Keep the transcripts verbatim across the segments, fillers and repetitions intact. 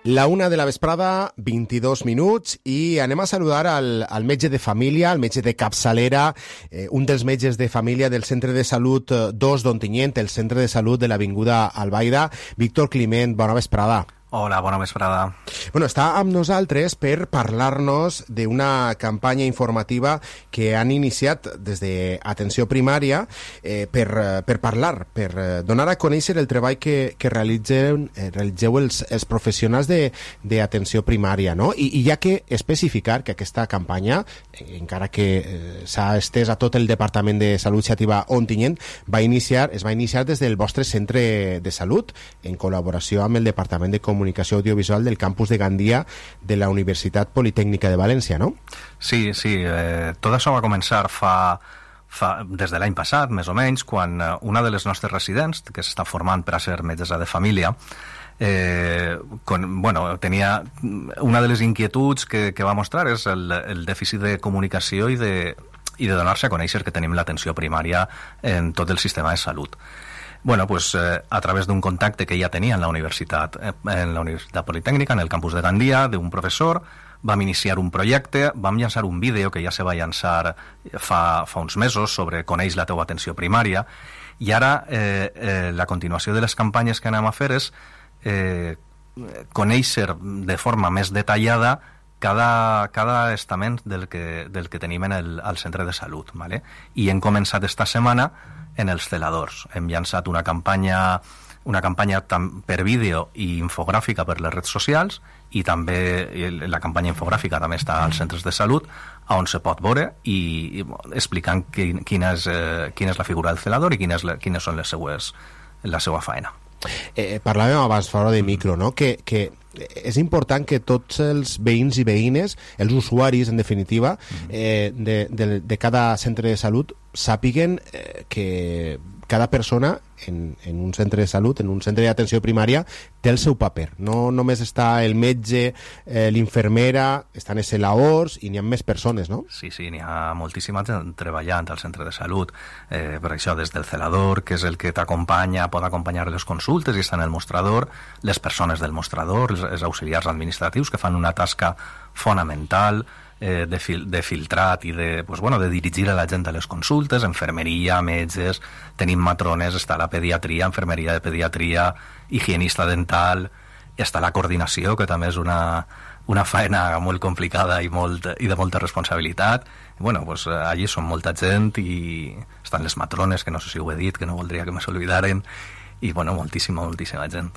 La una de la vesprada, vint-i-dos minuts, i anem a saludar al, al metge de família, al metge de capçalera, eh, un dels metges de família del Centre de Salut dos d'Ontinyent, el Centre de Salut de l'Avinguda Albaida, Víctor Climent. Bona vesprada. Hola, bona vesprada. Bueno, està amb nosaltres per parlar-nos d'una campanya informativa que han iniciat des d'Atenció Primària eh, per, per parlar, per donar a conèixer el treball que, que realitzen, eh, realitzeu els, els professionals d'Atenció Primària, no? I, I ja que especificar que aquesta campanya, eh, encara que eh, s'ha estès a tot el Departament de Salut Xàtiva Ontinyent, va iniciar, es va iniciar des del vostre centre de salut, en col·laboració amb el Departament de Comunicació Comunicació Audiovisual del campus de Gandia de la Universitat Politècnica de València, no? Sí, sí. Eh, tot això va començar fa, fa des de l'any passat, més o menys, quan una de les nostres residents, que s'està formant per a ser metgessa de família, eh, con, bueno, tenia una de les inquietuds que, que va mostrar és el, el dèficit de comunicació i de, i de donar-se a conèixer que tenim l'atenció primària en tot el sistema de salut. Bueno, pues eh, a través d'un contacte que ja tenia en la universitat, eh, en la Universitat Politècnica, en el campus de Gandia, d'un professor, vam iniciar un projecte, vam llançar un vídeo que ja se va llançar fa, fa uns mesos sobre Coneix la teua atenció primària, i ara eh, eh, la continuació de les campanyes que anem a fer és eh, conèixer de forma més detallada cada, cada estament del que, del que tenim en el, al centre de salut, ¿vale? I hem començat esta setmana en els celadors. Hem llançat una campanya una campanya per vídeo i infogràfica per les redes socials, i també la campanya infogràfica també està als centres de salut, on se pot veure i, i explicant quin, quina, és, eh, quina és la figura del celador i quines, quines són les seues, la seva faena. Eh, parlàvem abans fora de micro, no? Que, que és important que tots els veïns i veïnes, els usuaris, en definitiva, eh, de, de, de cada centre de salut, sàpiguen eh, que cada persona en, en un centre de salut, en un centre d'atenció primària, té el seu paper. No només està el metge, eh, l'infermera, estan els celadors i n'hi ha més persones, no? Sí, sí, n'hi ha moltíssima gent treballant al centre de salut. Eh, per això, des del celador, que és el que t'acompanya, pot acompanyar les consultes i està en el mostrador, les persones del mostrador, els, els auxiliars administratius que fan una tasca fonamental, Eh, de, fil, de filtrat i de, pues, bueno, de dirigir a la gent a les consultes, enfermeria, metges, tenim matrones, està la pediatria, enfermeria de pediatria, higienista dental, està la coordinació, que també és una, una faena molt complicada i, molt, i de molta responsabilitat. Bueno, pues, allí són molta gent i estan les matrones, que no sé si ho he dit, que no voldria que me s'olvidaren, i bueno, moltíssima, moltíssima gent.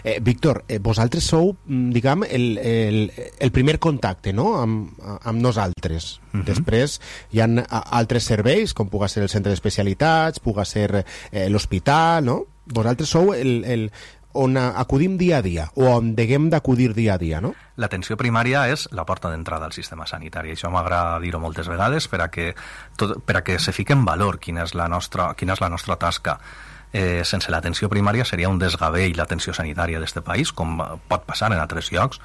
Eh, Víctor, eh, vosaltres sou, diguem, el, el, el primer contacte, no?, amb, amb nosaltres. Uh-huh. Després hi ha altres serveis, com puga ser el centre d'especialitats, puga ser eh, l'hospital, no? Vosaltres sou el, el, on acudim dia a dia, o on deguem d'acudir dia a dia, no? L'atenció primària és la porta d'entrada al sistema sanitari. Això m'agrada dir-ho moltes vegades per a que, tot, per a que se fique en valor quina és la nostra, quina és la nostra tasca. Eh, sense l'atenció primària seria un desgavell l'atenció sanitària d'este país, com pot passar en altres llocs.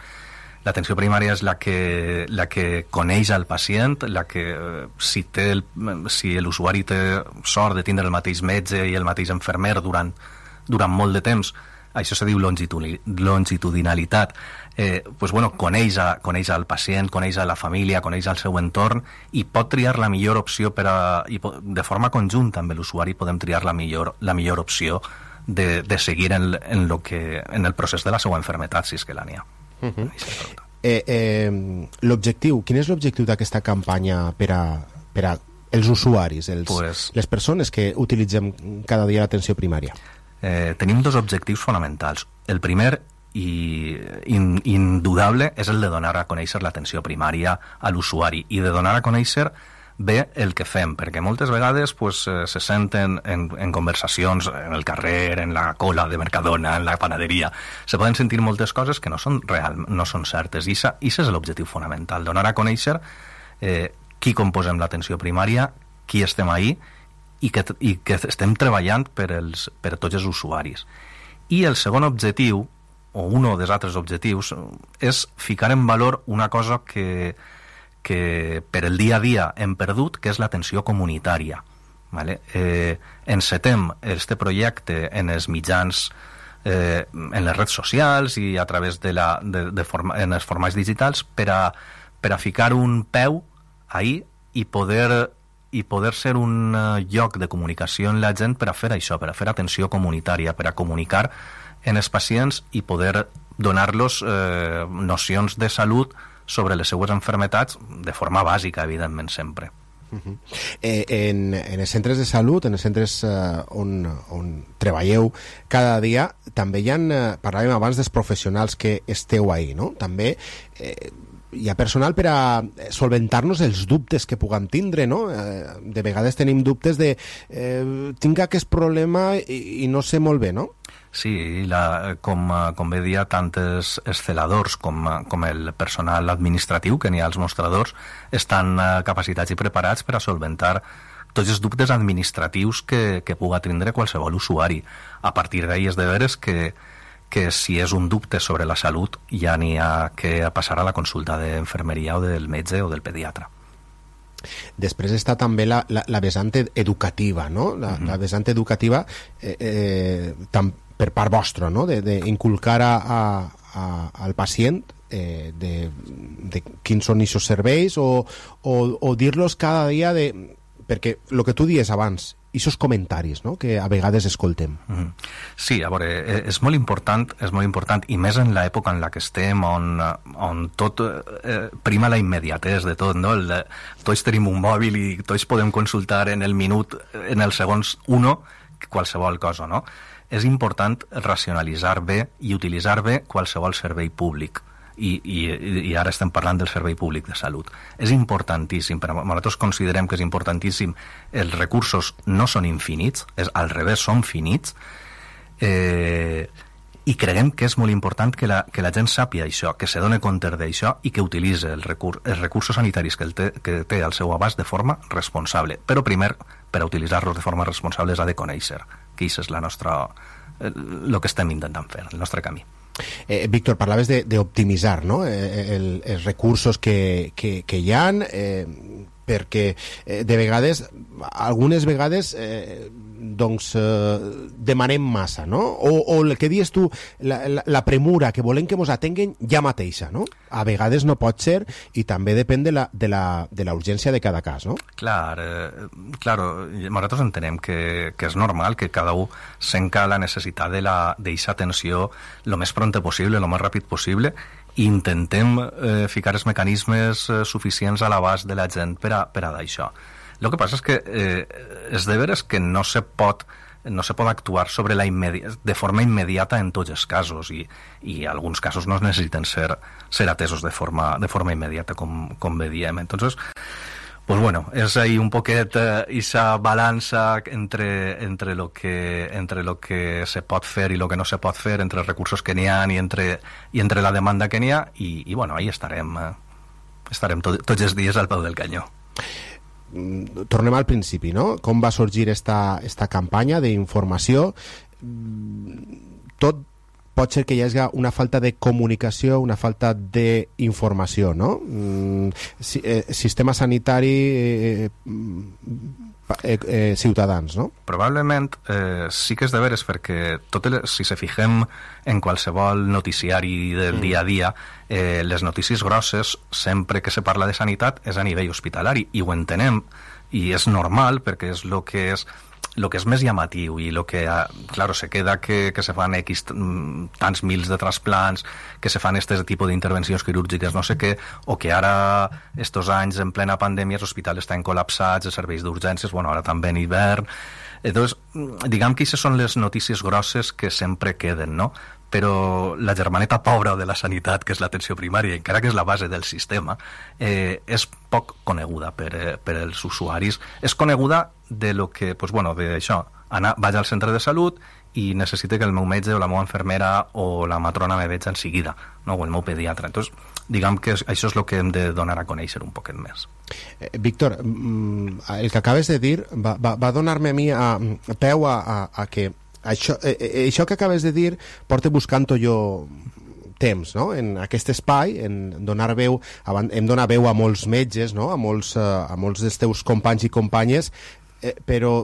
L'atenció primària és la que, la que coneix el pacient, la que si, té el, si l'usuari té sort de tindre el mateix metge i el mateix infermer durant, durant molt de temps, això se diu longitudinalitat, eh, pues bueno, coneix, a, coneix al pacient, coneix a la família, coneix al seu entorn i pot triar la millor opció per a, i de forma conjunta amb l'usuari podem triar la millor, la millor opció de, de seguir en, en, lo que, en el procés de la seva enfermetat, si és que la n'hi ha. Uh-huh. eh, eh, l'objectiu, quin és l'objectiu d'aquesta campanya per a, per a els usuaris, els, pues, les persones que utilitzem cada dia l'atenció primària? Eh, tenim dos objectius fonamentals. El primer i in, indudable és el de donar a conèixer l'atenció primària a l'usuari i de donar a conèixer bé el que fem, perquè moltes vegades pues, eh, se senten en, en conversacions en el carrer, en la cola de Mercadona, en la panaderia, se poden sentir moltes coses que no són real, no són certes, i això és l'objectiu fonamental, donar a conèixer eh, qui composem l'atenció primària, qui estem ahí i que, i que estem treballant per, els, per tots els usuaris. I el segon objectiu, o un dels altres objectius, és ficar en valor una cosa que, que per el dia a dia hem perdut, que és l'atenció comunitària. Vale? Eh, encetem este projecte en els mitjans eh, en les redes socials i a través de la, de, de forma, en els formats digitals per a, per a ficar un peu ahí i poder, i poder ser un lloc de comunicació en la gent per a fer això, per a fer atenció comunitària, per a comunicar en els pacients i poder donar-los eh, nocions de salut sobre les seues enfermetats de forma bàsica, evidentment, sempre. Uh-huh. eh, en, en els centres de salut, en els centres eh, on, on treballeu cada dia, també hi ha, eh, parlàvem abans dels professionals que esteu ahí, no? També eh, hi ha personal per a solventar-nos els dubtes que puguem tindre, no? Eh, de vegades tenim dubtes de eh, tinc aquest problema i, i no sé molt bé, no? Sí, la, com, com bé dia, tant els celadors com, com el personal administratiu que n'hi ha als mostradors estan capacitats i preparats per a solventar tots els dubtes administratius que, que puga tindre qualsevol usuari. A partir d'ahí és de veres que, que si és un dubte sobre la salut ja n'hi ha que passar a la consulta d'infermeria o del metge o del pediatre. Després està també la, la, la vessant educativa, no? La, uh-huh. la vessant educativa eh, eh, tam, per part vostra, no? D'inculcar a, a, a, al pacient eh, de, de quins són aquests serveis o, o, o dir-los cada dia de... perquè el que tu dies abans, aquests comentaris, no? Que a vegades escoltem. Mm-hmm. Sí, a veure, és molt important, és molt important, i més en l'època en la que estem, on, on tot eh, prima la immediatesa de tot, no? El, tots tenim un mòbil i tots podem consultar en el minut, en els segons uno, qualsevol cosa, no? És important racionalitzar bé i utilitzar bé qualsevol servei públic. I, i, i ara estem parlant del servei públic de salut. És importantíssim, però nosaltres considerem que és importantíssim, els recursos no són infinits, és al revés, són finits, eh, i creiem que és molt important que la, que la gent sàpia això, que se doni compte d'això i que utilitzi el recur, els recursos sanitaris que, el té, que té al seu abast de forma responsable. Però primer, per a utilitzar-los de forma responsable, ha de conèixer que això és la nostra, el que estem intentant fer, el nostre camí. Eh, Víctor, parlaves d'optimitzar, no? eh, el, els recursos que, que, que hi ha, eh, perquè eh, de vegades, algunes vegades eh, doncs eh, demanem massa, no? O, o el que dius tu, la, la, la premura que volem que mos atenguen ja mateixa, no? A vegades no pot ser i també depèn de la, de la, de la urgència de cada cas, no? Clar, eh, claro, nosaltres entenem que, que és normal que cada un senca la necessitat de d'aquesta atenció el més pront possible, el més ràpid possible, i intentem eh, ficar els mecanismes eh, suficients a l'abast de la gent per a, per a d'això. El que passa és que eh, és de veres que no se pot no se pot actuar sobre la immedi- de forma immediata en tots els casos i, i alguns casos no necessiten ser, ser atesos de forma, de forma immediata, com, com bé diem. Entonces, pues bueno, és ahí un poquet eh, esa balança entre, entre, lo que, entre lo que se pot fer i lo que no se pot fer, entre els recursos que n'hi ha i entre, i entre la demanda que n'hi ha, i, i bueno, ahí estarem, eh, estarem tot, tots els dies al peu del canyó. Tornem al principi, no? Com va sorgir esta, esta campanya d'informació? Tot pot ser que hi hagi una falta de comunicació, una falta d'informació, no? Si, eh, sistema sanitari eh, eh, eh, ciutadans, no? Probablement eh, sí que és de veres, perquè tot el, si se fixem en qualsevol noticiari del mm. dia a dia, eh, les notícies grosses, sempre que se parla de sanitat, és a nivell hospitalari, i ho entenem, i és normal, perquè és el que és lo que és més llamatiu i lo que, claro, se queda que, que se fan X tants mils de trasplants, que se fan este tipus d'intervencions quirúrgiques, no sé què, o que ara, estos anys, en plena pandèmia, els hospitals estan col·lapsats, els serveis d'urgències, bueno, ara també en hivern. Entonces, diguem que aquestes són les notícies grosses que sempre queden, no? Però la germaneta pobra de la sanitat, que és l'atenció primària, encara que és la base del sistema, eh, és poc coneguda per, eh, per els usuaris. És coneguda de lo que, pues bueno, de això, anar, vaig al centre de salut i necessite que el meu metge o la meva infermera o la matrona me veig en seguida, no? O el meu pediatre. Entonces, diguem que això és el que hem de donar a conèixer un poquet més. Eh, Víctor, el que acabes de dir va, va, va donar-me a mi a, a peu a, a, a que Això, eh, això que acabes de dir porta buscant-ho jo temps, no? En aquest espai, en donar veu, hem donat veu a molts metges, no? a, molts, a molts dels teus companys i companyes, eh, però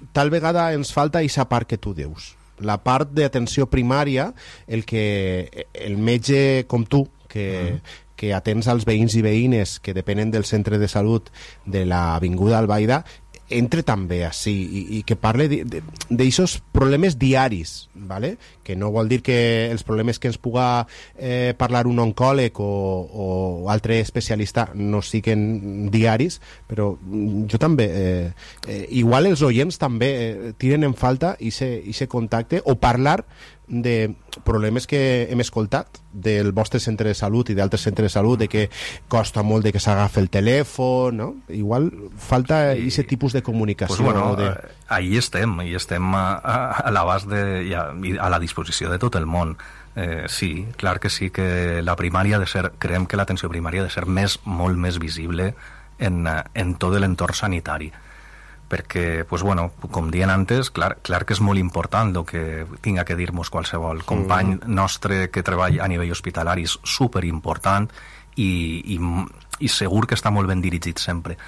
tal vegada ens falta aquesta part que tu dius. la part d'atenció primària, el que el metge com tu, que, mm. que atens als veïns i veïnes que depenen del centre de salut de l'Avinguda Albaida, entre també així i, i que parle d'aixòs problemes diaris, ¿vale? Que no vol dir que els problemes que ens puga eh, parlar un oncòleg o, o altre especialista no siguin diaris, però jo també eh, eh, igual els oients també eh, tiren en falta ese contacte o parlar de problemes que hem escoltat del vostre centre de salut i d'altres centres de salut, de que costa molt de que s'agafi el telèfon, no? Igual falta aquest tipus de comunicació. Pues bueno, de... ahí estem, ahí estem a, a, a l'abast de, i a, a la disposició de tot el món. Eh, sí, clar que sí que la primària ha de ser, creiem que l'atenció primària ha de ser més, molt més visible en, en tot l'entorn sanitari, perquè, pues bueno, com dient antes, clar, clar que és molt important el que tinga que dir-nos qualsevol company mm. nostre que treballa a nivell hospitalari, és superimportant i, i, i segur que està molt ben dirigit sempre.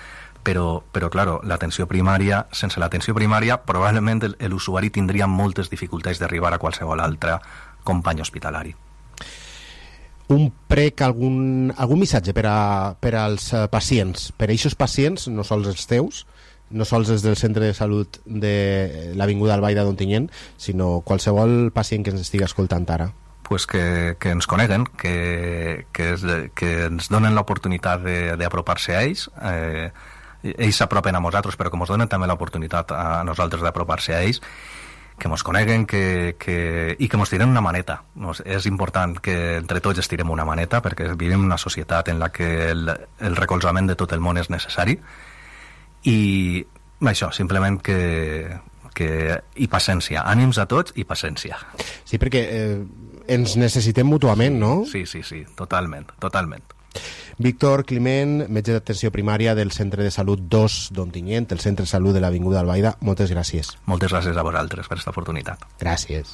Però, però claro, l'atenció primària, sense l'atenció primària, probablement l'usuari tindria moltes dificultats d'arribar a qualsevol altre company hospitalari. Un prec, algun, algun missatge per, a, per als pacients, per a aquests pacients, no sols els teus, no sols des del centre de salut de l'Avinguda Albaida d'Ontinyent, sinó qualsevol pacient que ens estigui escoltant ara. Pues que, que ens coneguen, que, que, es, que ens donen l'oportunitat d'apropar-se a ells, eh, ells s'apropen a nosaltres, però que ens donen també l'oportunitat a nosaltres d'apropar-se a ells, que ens coneguen que, que, i que ens tiren una maneta. És important que entre tots estirem una maneta, perquè vivim en una societat en la que el, el recolzament de tot el món és necessari, i això, simplement que, que i paciència, ànims a tots i paciència. Sí, perquè eh, ens necessitem mútuament, no? Sí, sí, sí, totalment, totalment. Víctor Climent, metge d'atenció primària del Centre de Salut dos d'Ontinyent, el Centre de Salut de l'Avinguda Albaida, moltes gràcies. Moltes gràcies a vosaltres per aquesta oportunitat. Gràcies.